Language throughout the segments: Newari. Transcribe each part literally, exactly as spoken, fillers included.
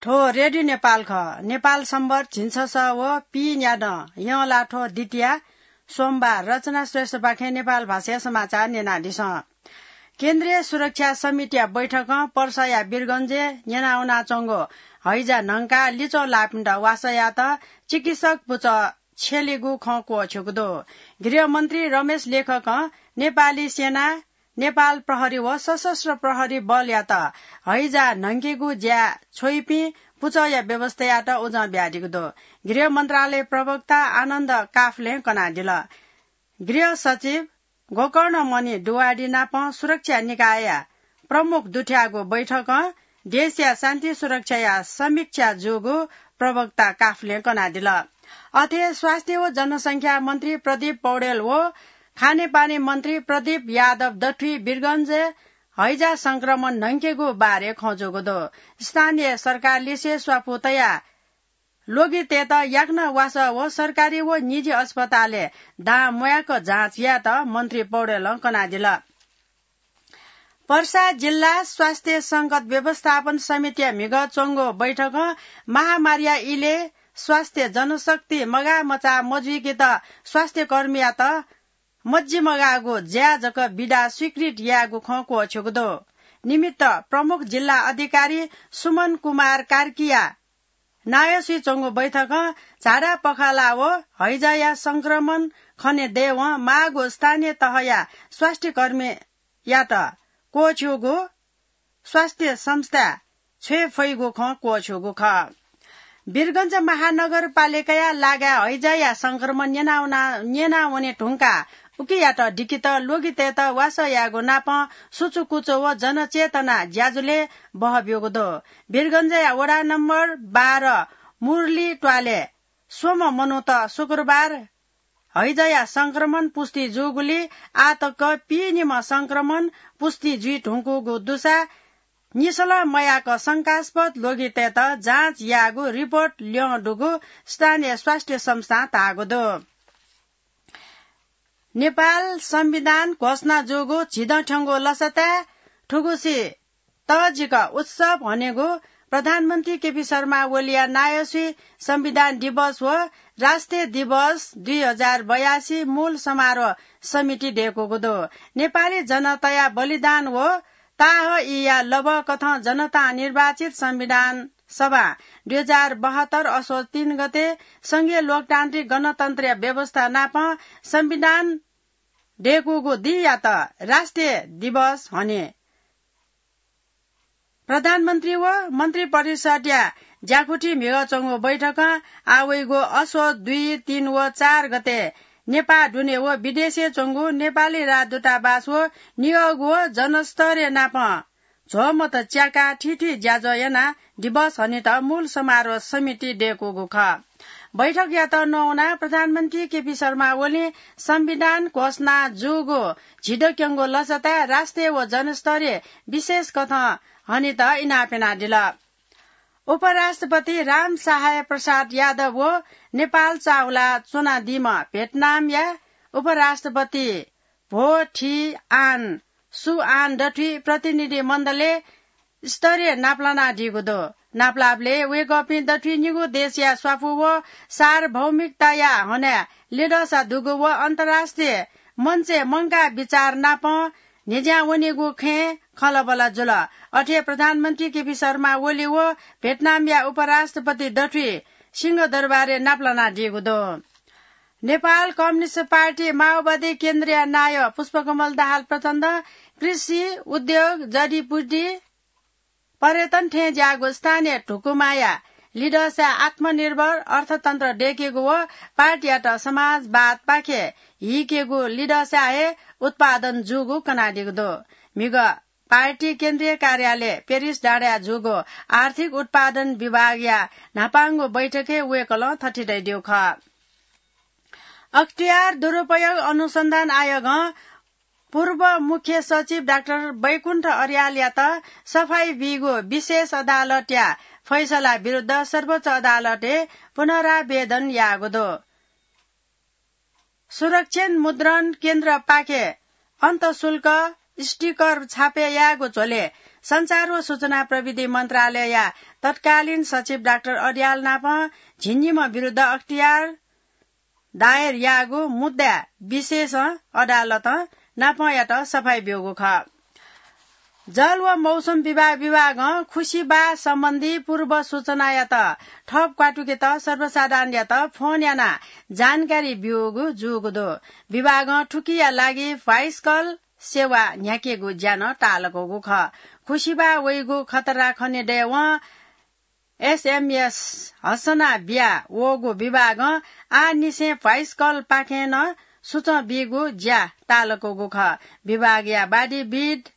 थ्व रेडियो नेपाल खः। नेपाल सम्बत झिंछसः व पीन्यादँ यंलाथ्व द्वितीया सोमबार। रचना श्रेष्ठपाखें नेपाल भाषाया समाचार न्यनादिसँ। केन्द्रीय सुरक्षा समितिया बैठकं पर्साया वीरगंजय् न्यनावनाच्वंगु हैजा न्हंकाः लिच्वः लाःपिन्त वासः यायेत चिकित्सक पुचः छ्यलीगु खँ क्वःछ्यूगु दु। गृहमन्त्री रमेश लेखकं नेपाली सेना, नेपाल प्रहरी व सशस्त्र प्रहरी बलयात हैजा न्हंकेगु ज्याय् छ्वइपिं पुचःया व्यवस्था यायेत उजं बियादीगु दु। गृह मन्त्रालय प्रवक्ता आनन्द काफलें कनादिल। गृह सचिव गोकर्णमणि दुवाडी नाप सुरक्षा निकायया प्रमुख दुथ्याःगु बैठकं देशया शान्ति सुरक्षाया समीक्षा जूगु प्रवक्ता काफलें कनादिल। अथे स्वास्थ्य व जनसंख्या मन्त्री प्रदीप पौडेल व खानेपानी मन्त्री प्रदीप यादव दथुइ वीरगंजय् हैजा संक्रमण न्हंकेगु बारे खँ जूगु दु। स्थानीय सरकारलिसे स्वापू तयाः ल्वगितय्त याकनं वासः व सरकारी व निजी अस्पतालय् दां म्वाय्क जाँच यायेत मन्त्री पौडेलं कनादिल। पर्सा जिल्ला स्वास्थ्य संकट व्यवस्थापन समितिया म्हिगः च्वंगु बैठकं महामारीया इलय् स्वास्थ्य जनशक्ति मगाःमचाः मजुइकेत स्वास्थ्यकर्मीयात मज्जिमगाःगु ज्याय् जक बिदा स्वीकृत यायेगु खँ क्वःछ्यूगु दु। निमित्त प्रमुख जिल्ला अधिकारी सुमन कुमार कार्कीया नायःसुइ च्वंगु बैठकं झाडा पखाला व हैजाया संक्रमण खने दयेवं माःगु स्थानीय तहया स्वास्थ्यकर्मीयात क्वःछ्यूगु स्वास्थ्य संस्था छ्वये फइगु खँ क्वःछ्यूगु खः। वीरगंज महानगरपालिकाया लागाय् हैजाया संक्रमण न्यनावना-, न्यनावने धुंकाः उकियात दिकेत ल्वगितय्त वासः यायेगु नापं सुचुकुचु व जनचेतना ज्याझ्वलय् बहःब्यूगु दु। वीरगंजया वडा नम्बर बाह्र मुरली त्वालय् स्वम्ह मनूत शुक्रबार हैजाया संक्रमण पुष्टि जूगुलिं आःतक पीनिम्ह संक्रमण पुष्टि जुइ धुंकूगु दुसा निसलं मयाक शंकास्पद ल्वगितय्त जाँच याःगु रिपोर्ट ल्यं दुगु स्थानीय स्वास्थ्य संस्थां धाःगु दु। नेपाल संविधान घोषणा जूगु झिदँ थ्यंगु लसताय् थुगुसी तःजिक उत्सव हनेगु प्रधानमन्त्री केपी शर्मा ओलीया नायःसुइ संविधान दिवस व राष्ट्रिय दिवस दुई हजार बयासी मूल समारोह समिति दय्कूगु दु। नेपाली जनताया बलिदान व ताःहाःया लभ्वकथं जनतां निर्वाचित संविधान सभां दुई हजार बहत्तर असोज तीन गते संघीय लोकतान्त्रिक गणतन्त्रया व्यवस्था नापं संविधान दय्कूगु दिंयात राष्ट्रिय दिवस हने प्रधानमन्त्री व मन्त्री परिषद्या ज्याकुथि म्हिगः च्वंगु बैठकं आः वइगु असोज दुई, तीन व चार गते नेपाः दुने व विदेशय् च्वंगु नेपाली राजदूतावास व नियोग व जनस्तरय् नापं झ्वःमत च्याकाः थीथी ज्याझ्वः यानाः दिवस हनेत मूल समारोह समिति दय्कूगु खः। बैठकयात नवानाः प्रधानमन्त्री केपी शर्मा ओलीं संविधान घोषणा जूगु झिदँ क्यंगु लसताय् राष्ट्रिय व जनस्तरीय विशेष कथं हनेत इनाप यानादिल। उपराष्ट्रपति राम सहाय प्रसाद यादव व नेपाल चाःहुला च्वनादीम्ह भियतनामया उपराष्ट्रपति भो थी आन सु आन दथुइ प्रतिनिधि मण्डलय् स्तरीय नापलानादीगु दु। नापलाःबलय् वय्कःपिं दथुइ निगू देशया स्वापू व सार्वभौमिकताया हनाय् लिधंसा दुगु व अन्तर्राष्ट्रिय मञ्चय् मंकाः बिचाः नापं न्ह्यज्यां वनीगु खँय् खँल्हाबल्हा जुल। अथे प्रधानमन्त्री केपी शर्मा ओली व भियतनामया उपराष्ट्रपति दथुइ सिंहदरबारय् नापलानादीगु दु। नेपाल कम्युनिस्ट पार्टी माओवादी केन्द्रया नायः पुष्पकमल दाहाल प्रचण्डं कृषि, उद्योग, जडीबुटी, पर्यटन थें ज्याःगु स्थानीय धुकुमाया लिधंसाय् आत्मनिर्भर अर्थतन्त्र दय्केगु व पार्टीयात समाजवादपाखे हीकेगु लिधंसाय् हे उत्पादन जूगु कनादीगु दु। म्हिगः पार्टी केन्द्रीय कार्यालय पेरिस डाँडाय् जूगु आर्थिक उत्पादन विभागया न्हापांगु बैठकय् वय्कलं थथे धयादीगु खः। अख्तियार दुरुपयोग अनुसन्धान आयोगं पूर्व मुख्य सचिव डाक्टर बैकुण्ठ अर्यालयात सफाई बीगु विशेष अदालतया फैसला विरुद्ध सर्वोच्च अदालतय् पुनरावेदन याःगु दु। सुरक्षित मुद्रण केन्द्रपाखे अन्तःशुल्क स्टिकर छापे यायेगु झ्वलय् सञ्चार व सूचना प्रविधि मन्त्रालयया तत्कालीन सचिव डाक्टर अर्याल नाप झिंनिम्ह विरुद्ध अख्तियार दायर याःगु मुद्दा विशेष अदालतं नापयात सफाई ब्यूगु खः। जल व मौसम विभाग विभागं खुसिबा सम्बन्धी पूर्व सूचनायात थप क्वातुकेत सर्वसाधारणयात फोन यानाः जानकारी ब्यूगु जूगु दु। विभागं थुकिया लागि भ्वाइस कल सेवा न्ह्याकेगु ज्या नं तालकूगु खः। खुसिबा वइगु खतरा खनेदयेवं एसएमएस हसना बिया वःगु विभागं आःनिसें भ्वाइस कलपाखें नं सुचं बीगु ज्या तालकूगु खः। विभागया वादीविद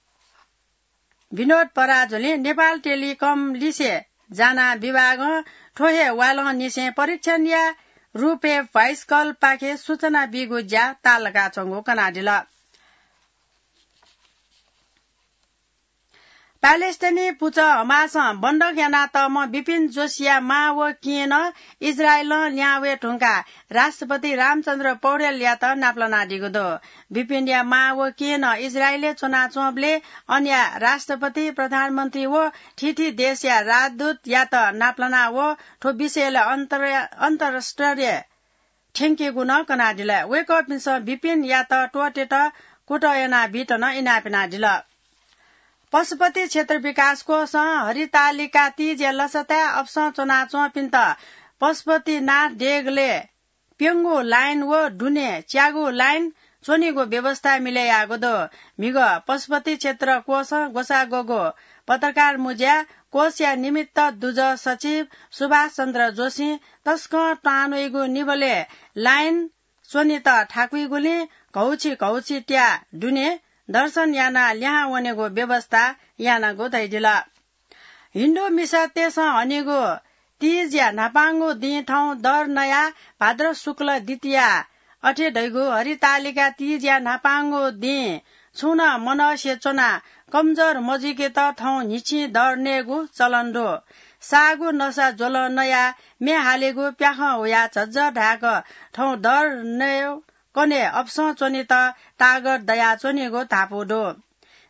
विनोद पराजुलिं नेपाल टेलिकम लिसे जानाः विभागं थ्व हे वालंनिसें परीक्षणया रूपय् भ्वाइस कलपाखे सूचना बीगु ज्या तालकाच्वंगु कनादिल। प्यालेस्टाइनी पुचः हमासं बन्दक यानातःम्ह बिपिन जोशीया मां व केहेँ नं इजरायलं लिहां वये धुंकाः राष्ट्रपति रामचन्द्र पौडेलयात नापलानादीगु दु। बिपिनया मां व केहेँ नं इजरायलय् च्वनाच्वंबलय् अनया राष्ट्रपति, प्रधानमन्त्री व थीथी देशया राजदूतयात नापलाना व थ्व विषयलय् अन्तर-, अन्तर्राष्ट्रिय थ्यंकेगु नं कनादिल। वय्कःपिन्सं बिपिनयात त्वःतेत कुतः यानाबीत नं इनाप यानादिल। पशुपति क्षेत्र विकास कोषं हरितालिका तीजया लसताय् अपसं च्वनाच्वंपिन्त पशुपतिनाथ देगलय् प्यंगू लाइन व दुने च्यागू लाइन च्वनीगु व्यवस्था मिले याःगु दु। म्हिगः पशुपति क्षेत्र कोषं ग्वसाः ग्वःगु पत्रकार मुँज्याय् कोषया निमित्त दुजः सचिव सुभाष चन्द्र जोशीं तसकं तांन्वइगु निबलय् लाइन च्वनेत थाकुइगुलिं घौछि घौछि त्याः दुने दर्शन यानाः लिहां वनेगु व्यवस्था यानागु धयादिल। हिन्दू मिसातय्सं हनीगु तीजया न्हापांगु दिं थौं दर नयाः भाद्र शुक्ल द्वितीया, अथे धइगु हरितालिका तीजया न्हापांगु दिं छुं नं मनसे च्वनाः कमजोर मजुइकेत थौं न्हिच्छि दर नयेगु चलन दु। साःगु नसा ज्वलं नयाः म्ये हालेगु प्याखं हुयाः झज्झ धाय्क थौं दर नयेकने अपसं च्वनेत तागत दयाच्वनीगु धापू दु।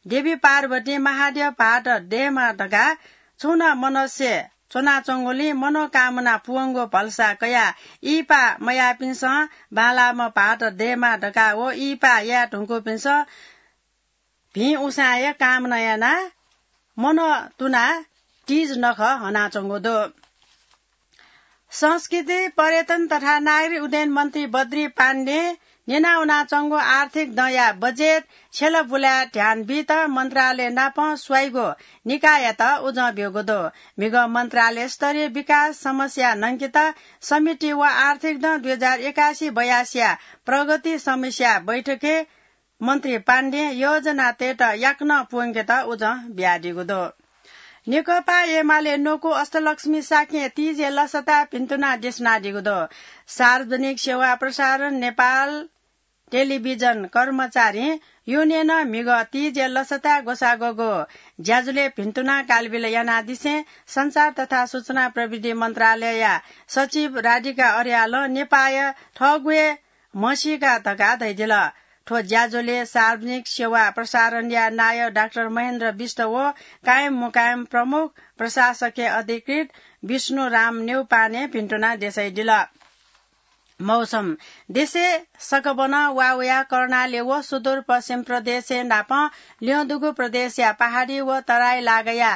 देवी पार्वतीं महाद्यः भाःत दयेमा धकाः छुं नं मनसे च्वनाच्वंगुलिं मनोकामना पूवंगु भलसा कयाः इहिपा मयाःपिन्सं बांलाःम्ह भाःत दयेमा धकाः व इहिपा याये धुंकूपिन्सं भिं उसाँय् कामना यानाः मनंतुनाः तीज नखः हनाच्वंगु दु। संस्कृति, पर्यटन तथा नागरिक उड्डयन मन्त्री बद्री पाण्डें न्यनावनाच्वंगु आर्थिक दँया बजेट छ्यला बुलाय् ध्यान बीत मन्त्रालय नाप स्वाइगु निकाययात उजं ब्यूगु दु। म्हिगः मन्त्रालय स्तरीय विकास समस्या न्हंकेत समिति व आर्थिक दँ दुई हजार एकासी बयासीया प्रगति समीक्षा बैठकय् मन्त्री पाण्डें योजनातय्त याकनं पूवंकेत उजं बियादीगु दु। नेकपा एमाले न्वकू अष्टलक्ष्मी शाक्यं तीजया लसताय् भिन्तुना देछानादीगु दु। सार्वजनिक सेवा प्रसारण नेपाल टेलिभिजन कर्मचारी युनियनं म्हिगः तीजया लसताय् ग्वसाः ग्वःगु ज्याझ्वलय् भिन्तुना कालबिल यानादिसें सञ्चार तथा सूचना प्रविधि मन्त्रालयया सचिव राधिका अर्यालं नेपाःया थःगु हे म्हसीका धकाः धयादिल। थ्व ज्याझ्वलय् सार्वजनिक सेवा प्रसारणया नायः डाक्टर महेन्द्र बिष्ट व कायम मुकायम प्रमुख प्रशासकीय अधिकृत विष्णुराम न्यौपाने भिन्तुना देछाइदिल। मौसम। देशय् सकभनं वा वयाः कर्णाली व सुदूरपश्चिम प्रदेशय् नाप ल्यं दुगु प्रदेशया पहाडी व तराई लागाया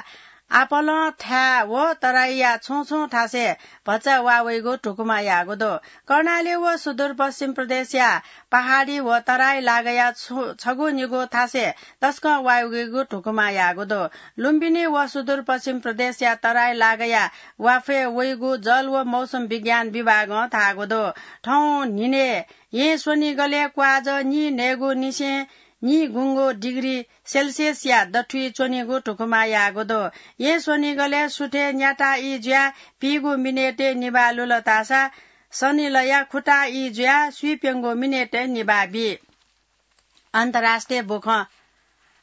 आपालं थाय् व तराईया छुं छुं थासय् भचा वा वइगु धुकुमा याःगु दु। कर्णाली व सुदूरपश्चिम प्रदेशया पहाडी व तराई लागाया छु-, छगू निगू थासय् तसकं वा वइगु धुकुमा याःगु दु। लुम्बिनी व सुदूरपश्चिम प्रदेशया तराई लागाया वाफय् वइगु जल व मौसम विज्ञान विभागं धाःगु दु। थौं न्हिनय् येँ स्वनिगलय् क्वाःजः नीन्हय्गुनिसें नीगुंगू डिग्री सेल्सियसया दथुइ च्वनीगु धुकुमा याःगु दु। येँ स्वनिगलय् सुथय् न्याता ई जुयाः पीगू मिनेटय् निभाः लुल धाःसा सनिलया खुता ई जुयाः स्वीप्यंगू मिनेटय् निभाः बी। अन्तर्राष्ट्रिय बुखँ।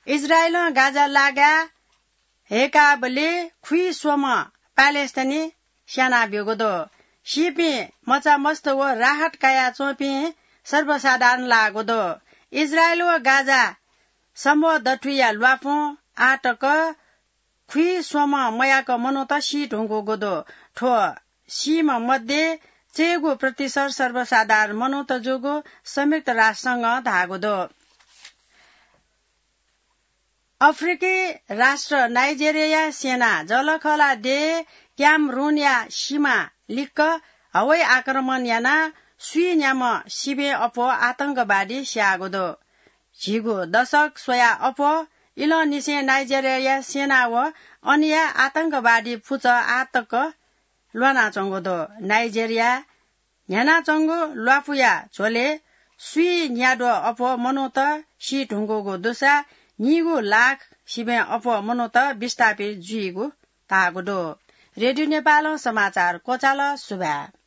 इजरायलं गाजा लागाय् हय्काबलय् खुइस्वम्ह प्यालेस्टाइनी स्यानाब्यूगु दु। सीपिं मचामस्त व राहत कयाच्वंपिं सर्वसाधारण लाःगु दु। इजरायल व गाजा सम्भव दथुइया ल्वापुं आः तक खुइस्वम्ह मयाक मनूत सी धुंकूगु दु। थ्व सीम्ह मध्ये चय्गु प्रतिशत सर्वसाधारण मनूत जूगु संयुक्त राष्ट्र संघं धाःगु दु। अफ्रिकी राष्ट्र नाइजेरियाया सेनां जःलाखःला देय् क्यामरुनया सीमा लिक्क हवाई आक्रमण यानाः स्वीन्याम्ह सिबें अप्वः आतंकवादी स्याःगु दु। झिगू दशक स्वयाः अप्वः इलंनिसें नाइजेरियाया सेना व अनया आतंकवादी पुचः आः तक ल्वानाच्वंगु दु। नाइजेरियाय् न्ह्यानाच्वंगु ल्वापुया झ्वलय् स्वीन्याद्वः अप्वः मनूत सी धुंकूगु दुसा नीगू लाख सिबें अप्वः मनूत विस्थापित जुइगु धाःगु दु। रेडियो नेपालं समाचार क्वचाल। सुभाय्।